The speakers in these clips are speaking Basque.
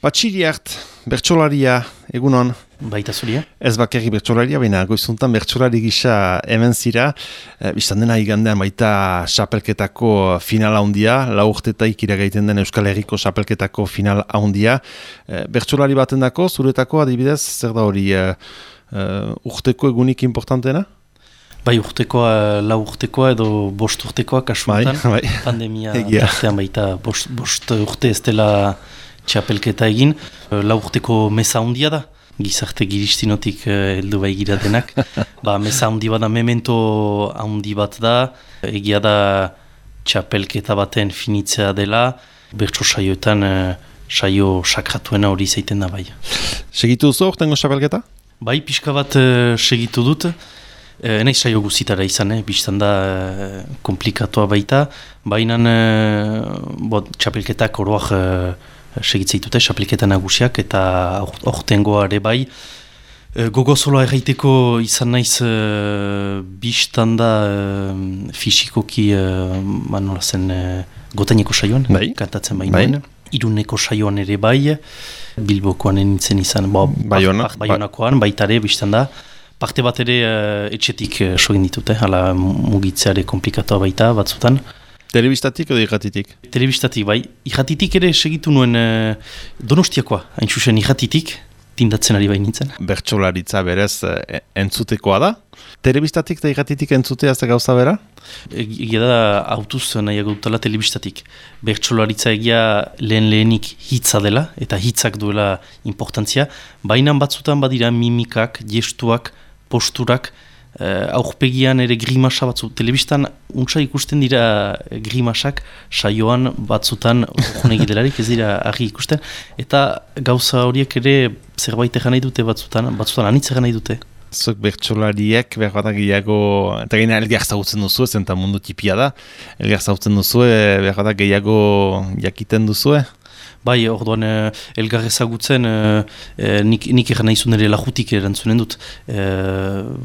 Patxiriart, bertsolaria, egunon. Baita zuria. Ez bakarri bertsolaria, baina goizuntan bertsolari gisa hemen zira. Bistan dena igandean baita xapelketako final handia, lau urtetaik iragaiten den Euskal Herriko xapelketako final handia. Bertsolari batendako, zuretako adibidez, zer da hori urteko egunik importanteena? Bai urtekoa, lau urtekoa edo bost urtekoa kasuetan. Bai. Pandemia tartean baita bost urte ez dela txapelketa egin. Lau urteko meza handia da. Gizarte giristinotik heldu bai giratenak. Meza handi bat da, memento handi bat da. Egia da txapelketa baten finitzea dela. Bertso saioetan saio sakratuena hori zaiten da bai. Segitu duzu urtengo txapelketa? Bai, pixka bat segitu dut. Enaiz saio guzitara izan, biztan da komplikatua baita. Baina txapelketak oroak segitzeitute, txapelketa nagusiak eta ortengoa ere bai. Gogozoloa erraiteko izan naiz biztan da fisikoki nola zen Gotaineko saioan, kantatzen bainoen. Iruneko saioan ere bai, Bilbokoan nintzen izan, Baionakoan baita ere biztan da. Parte bat ere etxetik sogin ditute, hala mugitzeare komplikatua baita batzutan. Telebistatik edo irratitik? Telebistatik bai. Irratitik ere segitu nuen Donostiakoa, hain zuzen irratitik, tindatzen ari nintzen. Bertsolaritza berez entzutekoa da? Telebistatik eta irratitik entzutea ez da gauza bera? Egia da autuz nahiago dutela telebistatik. Bertsolaritza egia lehenik hitza dela, eta hitzak duela importantzia. Baina batzutan badira mimikak, gestuak, posturak, aurpegian ere grimasa batzu. Telebistan untsa ikusten dira grimasak, saioan batzutan orkunegi delarik ez dira argi ikusten. Eta gauza horiek ere zerbait egan nahi dute batzutan anitz egan nahi dute. Zuek bertsolariek berbatak gehiago, eta gaina elgar zautzen duzu, ez eta mundu tipia da, elgar zautzen duzu, berbatak gehiago jakiten duzu, Bai, orduan elgar ezagutzen, nik egan nahi zuen ere lajutik erantzunen dut.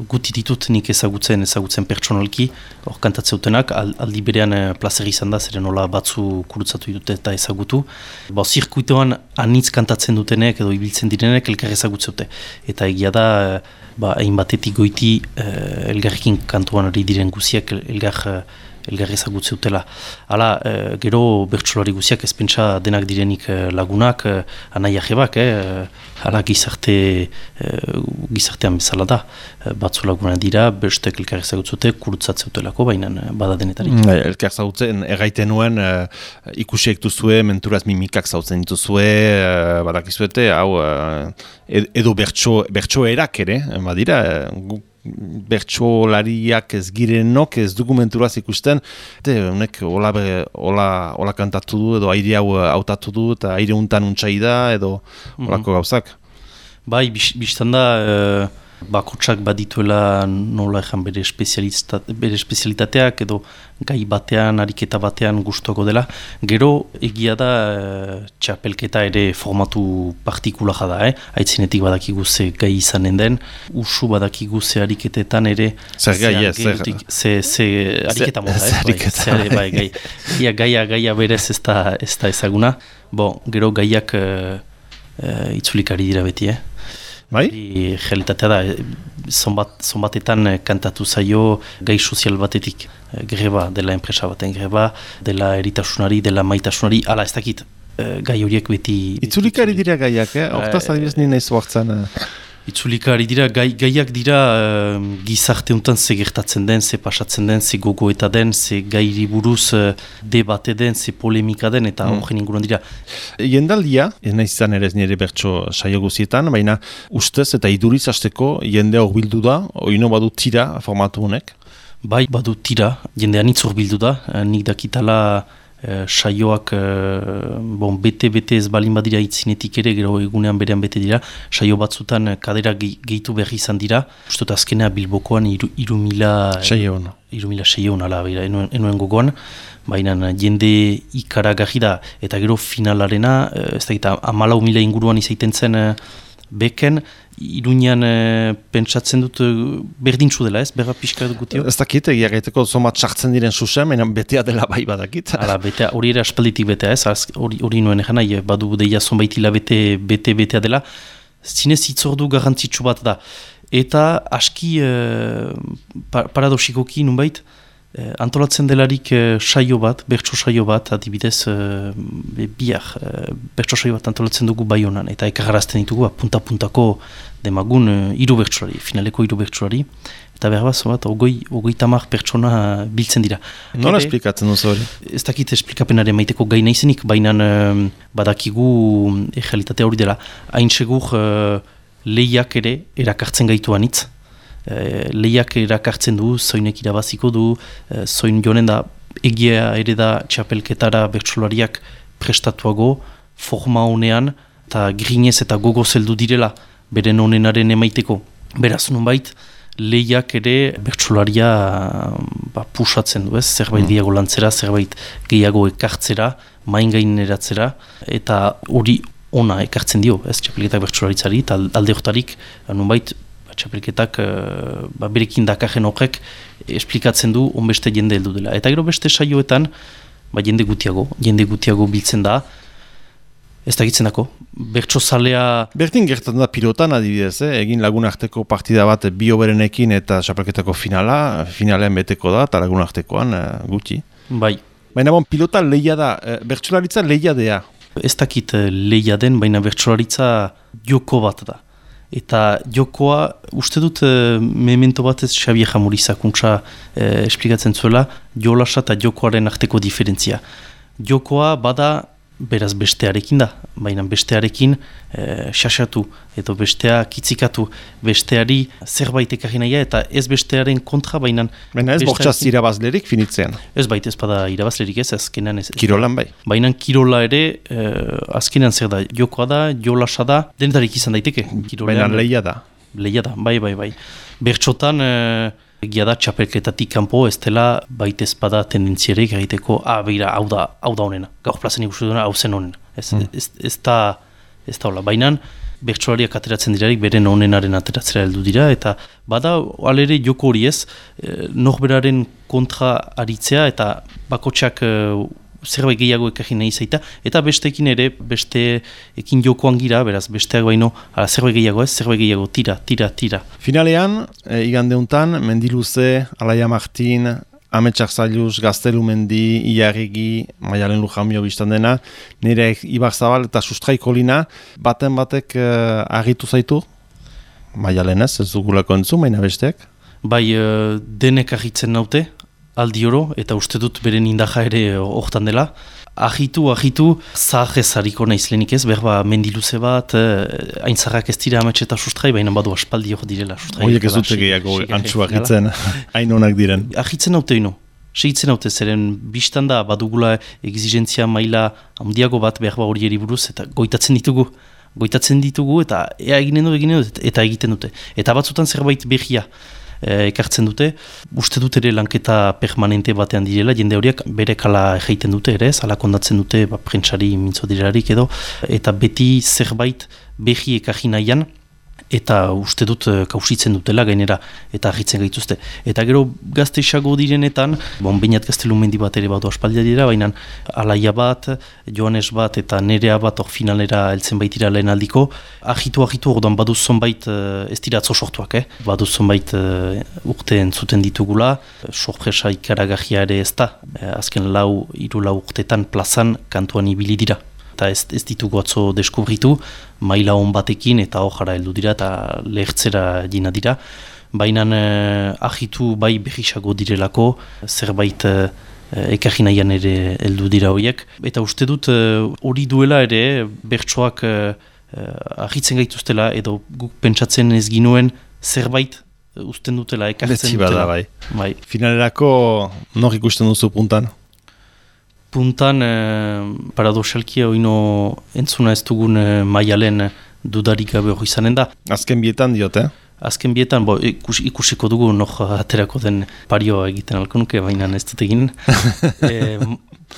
Guti ditut nik ezagutzen pertsonalki, hor kantatzeutenak, aldi berean plazer izan da, zeren nola batzu kurutzatu ditut eta ezagutu. Zirkuitoan anitz kantatzen dutenek edo ibiltzen direnek elgar ezagutzeute. Eta egia da, hain batetik goiti elgarrekin kantuan ari diren guziak elgar ezagutzeutela. Hala, gero bertsolari guziak ezpentsa denak direnik lagunak, anaia jebak, hala gizartean bezala da. Batzu laguna dira, bestek elkar ezagutzute, kurutzatzeautelako, baina bada denetarik. Elkar zautzen, erraiten nuen, ikusiek duzue, menturaz mimikak zautzen dituzue, badakizuete, hau, edo bertso erak ere, badira, bertsolariak ez girenok ez dokumenturaz ikusten, honek hola kantatu du edo aire hau hautatu du eta aire untan untsai da edo holako gauzak. Bai, biztan da bakotsak badituela nola ejan bere espezialitateak edo gai batean, ariketa batean gustuko dela. Gero egia da txapelketa ere formatu partikulara da, Aitzinetik badakigu ze gai izanen den, usu badakigu ze ariketetan ere zer gai ez, ze ariketa mota, gaia berez ez da ezaguna. Gero gaiak itzulikari dira beti, Bai? Realitatea da, zonbatetan kantatu zaio gai sozial batetik. Greba, dela enpresa baten greba, dela eritasunari, dela maitasunari, ala ez dakit, gai horiek beti... Itzulikari dira gaiak, Hortaz adibidez nien nahi zuartzen... Itzulikari dira, gaiak dira gizarte untan ze gertatzen den, ze pasatzen den, ze gogoeta den, ze gairi buruz debate den, ze polemika den, eta horren inguruan dira. Jendaldia, ez nahi izan ere ez nire bertso saio guzietan, baina ustez eta iduriz hasteko jende hor bildu da, oino badu tira formatu honek? Bai, badu tira, jende anitz hor bildu da, nik dakitala saioak bete ez balin badira itzinetik ere, gero egunean berean bete dira, saio batzutan kadera gehitu berri izan dira. Ustot azkenea Bilbokoan 3.600 ala, enuen gogoan, baina jende ikaragarri da, eta gero finalarena, ez da gita 14.000 inguruan izaiten zen beken, Iruñan pentsatzen dut berdintzu dela, ez? Berra pixka gutio? Ez dakit, egia gaiteko zomat sartzen diren zuzen, baina betea dela bai badakit. Hala, betea, hori ere aspalditik betea, ez? Hori nuen egin nahi, badu deia zonbait betea dela. Zinez hitzordu garrantzitsu bat da. Eta aski paradoxikoki nunbait, antolatzen delarik saio bat, bertso saio bat, adibidez, bihar, bertso saio bat antolatzen dugu Baionan, eta ekarrazten ditugu, punta-puntako demagun hiru bertsolari, finaleko hiru bertsolari, eta behar bat, ogoi tamar pertsona biltzen dira. Nola esplikatzen duzu hori? Ez dakit esplikapenare maiteko gai naizenik, baina badakigu egalitatea hori dela. Hain segur lehiak ere erakartzen gaituan hitz. Lehiak erakartzen du, zoinek irabaziko du, zoin jonen da egia ere da txapelketara bertsolariak prestatuago, forma honean, eta grinez eta gogo zeldu direla, beren honenaren emaiteko. Beraz nunbait, lehiak ere bertsolaria pusatzen du, ez? Zerbait gehiago lantzera, zerbait gehiago ekartzera, main gaineratzera, eta hori ona ekartzen dio, ez? Txapelketak bertsolaritzari, eta alde hortarik, nunbait, txapelketak berekin dakajen horrek esplikatzen du onbeste jende heldu dela. Eta gero beste saioetan jende gutiago biltzen da, ez dakitzen dako, bertso zalea... Berdin gertatzen da pilotan adibidez, egin lagunarteko partida bat bi oberenekin eta txapelketako finalean beteko da, eta lagunartekoan gutxi. Bai. Baina pilota lehia da, bertsolaritza lehia dea. Ez dakit lehia den, baina bertsolaritza joko bat da. Eta jokoa, uste dut memento bat ez Xabier Jamurizakuntza esplikatzen zuela, jolasa eta jokoaren arteko diferentzia. Jokoa bada beraz bestearekin da, baina bestearekin xaxatu, edo bestea kitzikatu, besteari zerbait ekarri nahia, eta ez bestearen kontra, baina... Baina ez bortxaz irabazlerik finitzean. Ez baita ez bada irabazlerik ez, azkenean ez. Kirolan bai. Baina kirola ere, azkenean zer da, jokoa da, jolasa da, denetarik izan daiteke. Baina lehia da. Lehia da, bai. Bertxotan... Egia da, txapelketatik kanpo ez dela baita ezpada tendentzierek egiteko, beira, hau da honena, gaur plazen ikustu duena, hau zen honena. Ez da hola. Baina, bertsolariak ateratzen dirarik, beren honenaren ateratzera heldu dira, eta bada, alere joko hori ez, norberaren kontra aritzea, eta bakotxak zerbait gehiago ekarri nahi zaita, eta besteekin ere, besteekin jokoan gira, beraz, besteak baino, zerbait gehiago ez, zerbait gehiago, tira. Finalean, igandeuntan, Mendiluze, Alaia Martin, Ametsak Zailuz, Gaztelu Mendi, Iarregi, Maialen Lujamio biztan dena, nire Ibar Zabal eta Sustraiko Lina, batek argitu zaitu? Maialen ez dugulako entzu, baina besteak? Bai, denek argitzen naute, aldi oro, eta uste dut beren indaja ere hortan dela. Ahitu, zahez hariko naizlenik ez, berba Mendiluze bat, aintzarrak ez dira Amets eta Sustrai, baina badu aspaldi hor direla. Horiek ez dute gehiago antxu ahitzen, hain honak diren. Ahitzen haute ino, segitzen haute, zeren biztan da badugula exigentzia maila handiago bat berba hori buruz, eta goitatzen ditugu, eta egiten dute. Eta batzutan zerbait behia ekartzen dute, uste dut ere lanketa permanente batean direla, jende horiek bere kala egiten dute ere, zala kondatzen dute prentsari mintzo direlarik edo, eta beti zerbait behi ekarri nahian, eta uste dut kausitzen dutela gainera, eta ahitzen gaituzte. Eta gero gazte isago direnetan, bainat Gaztelu Mendi bat ere badu aspaldia dira, baina Alaia bat, Joanes bat eta Nerea bat hor finalera heltzen baitira lehen aldiko, ahitu, orduan baduz zonbait, ez dira atzo sortuak, baduz zonbait urte entzuten ditugula, sorpresa ikaragahia ere ez da, azken 3 urtetan plazan kantuan ibili dira. Eta ez ditugu atzo deskubritu, maila hon batekin eta hojara heldu dira eta lehertzera jina dira. Baina ahitu bai behisago direlako, zerbait ekarri nahian ere heldu dira horiek. Eta uste dut hori duela ere bertsoak ahitzen gaituztela edo guk pentsatzen ez ginuen zerbait usten dutela, ekartzen dutela. Bai. Finalerako nor ikusten duzu puntan? Puntan, paradoxalki oino entzuna ez dugun Maialen dudarik gabe hori izanen da. Azken bietan diote? Azken bietan, ikusiko dugu nok aterako den parioa egiten alkonuke, baina ez dut egin.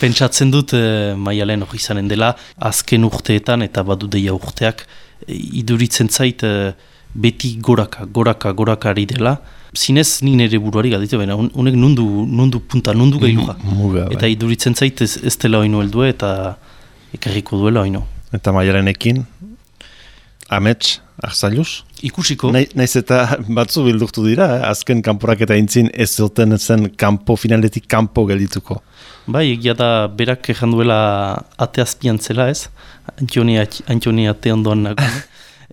Pentsatzen dut Maialen hori izanen dela, azken urteetan eta badu deia urteak iduritzen zait beti goraka ari dela. Zinez nik nire buruari galditu, baina honek nundu punta, nundu gailuga. Eta iduritzen zait ez dela oinu heldue eta ekarriko duela oinu. Eta Maialenekin, amets, Arzailuz? Ikusiko. Naiz eta batzu bildurtu dira, azken kanporak eta intzin ez zuten zen finaletik kanpo geldituko. Bai, egia da berak ejan duela ate azpian zela ez, Antoni ate ondoan nagoen.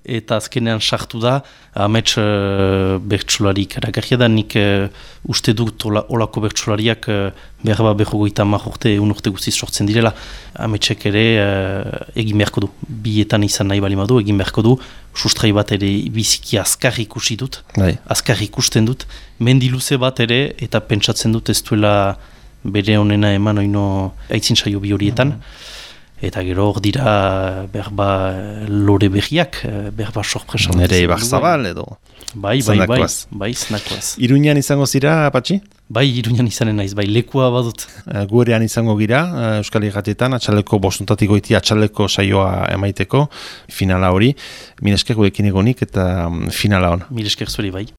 Eta azkenean sartu da, amets bertsolari karagarria da, nik uste dut olako bertsolariak behar behogoita urte, urte guztiz sortzen direla. Ametsek ere egin beharko du, bietan izan nahi bali madu, egin beharko du, sustrai bat ere biziki azkar ikusi dut, azkar ikusten dut, mendiluze bat ere, eta pentsatzen dut ez duela bere honena eman oino aitzin saio bi horietan. Eta gero hor dira berba lore behiak, berba sorpresa. Nere Ibar Zabal edo. Bai, zenakoaz. Iruñan izango zira, Patxi? Bai, Iruñan izanen naiz, bai, lekua badut. Gurean izango gira, Euskal Irratietan, atxaleko bostuntatik goiti atxaleko saioa emaiteko, finala hori. Milesker gurekin egonik eta finala hon. Milesker zuri, bai.